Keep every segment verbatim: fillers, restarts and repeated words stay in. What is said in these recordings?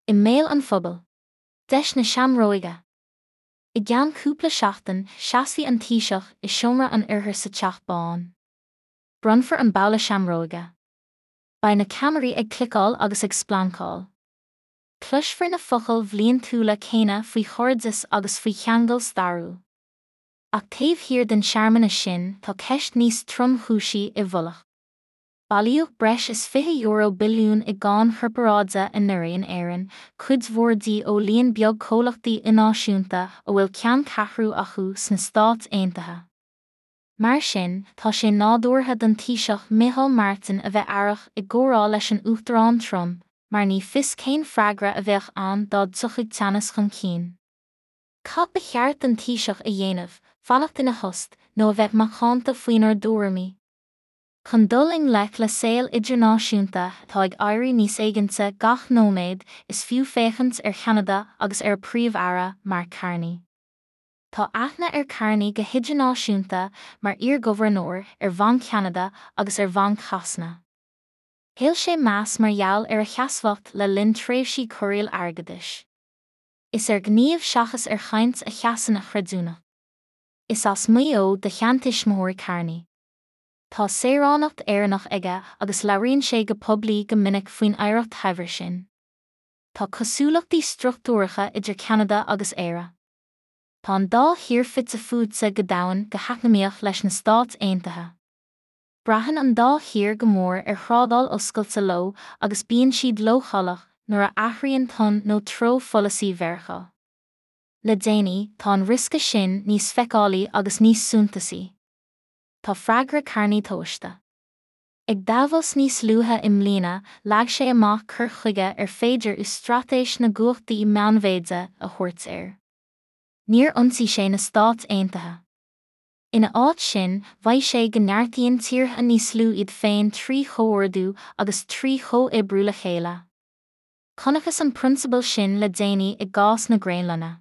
I mbéal an phobail. Deis na seamróige. I gceann cúpla seachtain, seasfaidh an Taoiseach i seomra an Oirthir sa Teach Bán. Bronnfar an babhla seamróige. Beidh na ceamaraí ag cliceáil agus ag splancáil. Cloisfear na focail bhliantúla céanna faoi chairdeas agus faoi cheangal stairiúil. Ach taobh thiar den searmanas sin tá ceist níos tromchúisí i bhfolach. Bailíodh breis is fiche euro billiún i gcáin chorparáide anuraidh in Éirinn, cuid mhór di ó líon beag comhlachtaí ilnáisiúnta a bhfuil ceanncheathrú acu sna Stáit Aontaithe. Mar sin, tá sé nádúrtha don Taoiseach Micheál Martin a bheith aireach i gcomhrá leis an Uachtarán Trump, mar ní fios cén freagra a bheadh ann dá dtiocfadh teannas chun cinn. Cad ba cheart don Taoiseach a dhéanamh, fanacht ina thost, nó a bheith macánta faoinár dtuairimí? Chun dul i ngleic le saol idirnáisiúnta atá ag éirí níos éiginnte gach nóiméad, is fiú féachaint ar Cheanada agus ar a Príomh-Aire, Mark Carney. Tá aithne ar Carney go hidirnáisiúnta mar iarghobharnóir ar Bhanc Cheanada agus ar Bhanc Shasana. Thuill sé meas mar gheall ar a sheasmhacht le linn tréimhsí corraíl airgeadais. Is ar ghníomh seachas ar chaint a sheasann a chreidiúnacht. Is as Maigh Eo do sheantuismitheoirí Carney. Tá saoránacht Éireannach aige agus labhraíonn sé go poiblí go minic faoin oidhreacht shaibhir sin. Tá cosúlachtaí struchtúracha idir Ceanada agus Éire. Tá an dá thír fite fuaite go domhain go heacnamaíoch leis na Stáit Aontaithe. Braitheann an dá thír go mór ar thrádáil oscailte leo agus bíonn siad leochaileach nuair a athraíonn ton nó treo pholasaí Mheiriceá. Le déanaí, tá an riosca sin níos feiceálaí agus níos suntasaí. Tá freagra Carney tomhaiste. Ag Davos níos luaithe i mbliana, leag sé amach cur chuige ar féidir uas-straitéis na gcumhachtaí meánmhéide a thabhairt air. Níor ionsaigh sé na Stáit Aontaithe. Ina áit sin, mhaígh sé go neartaíonn tíortha níos lú iad féin trí chomhordú agus trí chomhoibriú le chéile. Chonacthas an prionsabal sin le déanaí i gcás na Graonlainne.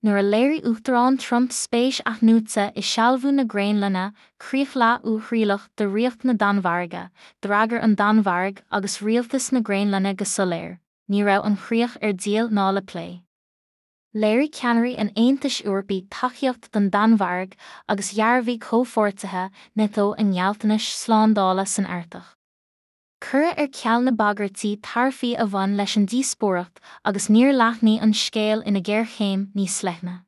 Nuair a léirigh Uachtarán Trump spéis athnuaite i sealbhú na Graonlainne, críoch leath-uathrialach de Ríocht na Danmhairge, d'fhreagair an Danmhairg agus rialtas na Graonlainne go soiléir, ní raibh an chríoch ar díol ná le plé. Léirigh ceannairí an Aontais Eorpaigh tacaíocht don Danmhairg agus dhearbhaigh comhpháirtithe NATO a ngealltanais slándála san Artach. Cuireadh ar ceal na bagairtí taraifí a bhain leis an díospóireacht agus níor leathnaigh an scéal ina ghéarchéim níos leithne.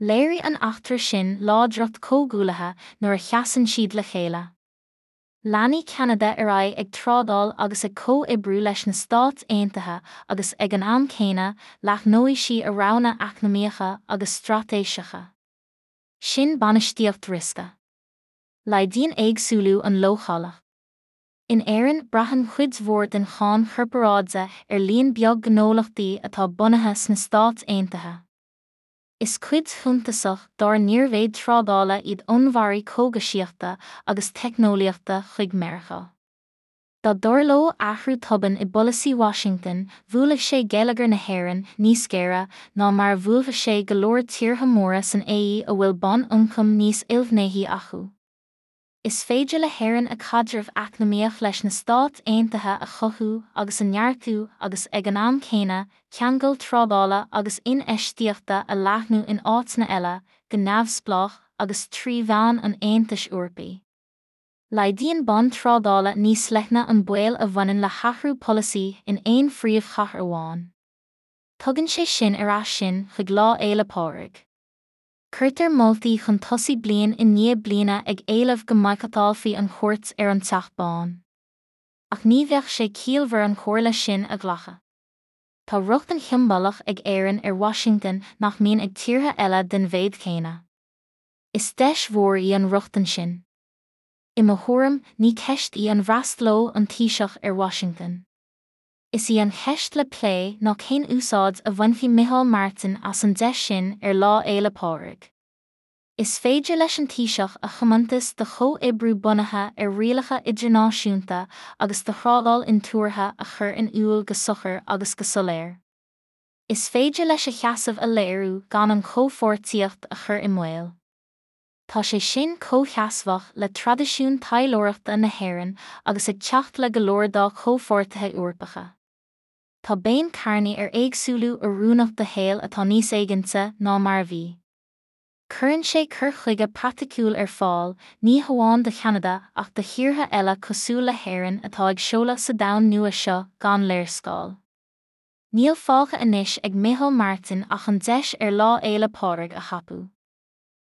Léirigh an eachtra sin láidreacht comhghuaillithe nuair a sheasann siad le chéile. Leanfaidh Ceanada ar aghaidh ag trádáil agus ag comhoibriú leis na Stáit Aontaithe agus, ag an am céanna, leathnóidh sí a roghanna eacnamaíocha agus straitéiseacha. Sin bainistíocht riosca. Laghdaíonn éagsúlú an leochaileacht. In Éirinn, braitheann cuid mhór den cháin chorparáide ar líon beag gnólachtaí atá bunaithe sna Stáit Aontaithe. Is cuid shuntasach dár n-iarmhéid trádála iad onnmhairí cógaisíochta agus teicneolaíochta chuig Meiriceá. Dá dtarlódh athrú tobann i bpolasaí Washington, bhuailfeadh sé geilleagar na hÉireann níos géire ná mar a bhuailfeadh sé go leor tíortha móra san A E a bhfuil bonn ioncaim níos ilghnéithí acu. Is féidir le hÉirinn a caidreamh eacnamaíoch leis na Stáit Aontaithe a chothú agus a neartú agus, ag an am céanna, ceangal trádála agus infheistíochta a leathnú in áiteanna eile, go neamhspleách agus trí mheán an Aontais Eorpaigh. Laghdaíonn bonn trádála níos leithne an baol a bhaineann le hathrú polasaí in aon phríomhchathair amháin. Tugann sé sin ar ais sinn chuig Lá Fhéile Pádraig. Cuirtear moltaí chun tosaigh bliain i ndiaidh bliana ag éileamh go mbaghcatálfaí an chuairt ar an Teach Bán. Ach ní bheadh sé ciallmhar an chomhairle sin a ghlacadh. Tá rochtain shiombalach ag Éirinn ar Washington nach mbíonn ag tíortha eile den mhéid chéanna. Is deis mhór í an rochtain sin. I mo thuairim, ní ceist í an bhfreastalódh an Taoiseach ar Washington. Is í an cheist le plé ná cén úsáid a bhainfidh Micheál Martin as an deis sin ar Lá Fhéile Pádraig. Is féidir leis an Taoiseach a thiomantas do chomhoibriú bunaithe ar rialacha idirnáisiúnta agus do thrádáil intuartha a chur in iúl go socair agus go soiléir. Is féidir leis a sheasamh a léiriú gan an chomhpháirtíocht a chur i mbaol. Tá sé sin comhsheasmhach le traidisiún taidhleoireachta na hÉireann agus ag teacht le go leor dá comhpháirtithe Eorpacha. tá béim Carney ar éagsúlú oiriúnach do shaol atá níos éiginnte ná mar a bhí. Cuireann sé cur chuige praiticiúil ar fáil, ní hamháin do Cheanada ach do thíortha eile cosúil le hÉirinn atá ag seoladh sa domhan nua seo gan léarscáil. Níl fágtha anois ag Micheál Martin ach an deis ar Lá Fhéile Pádraig a thapú.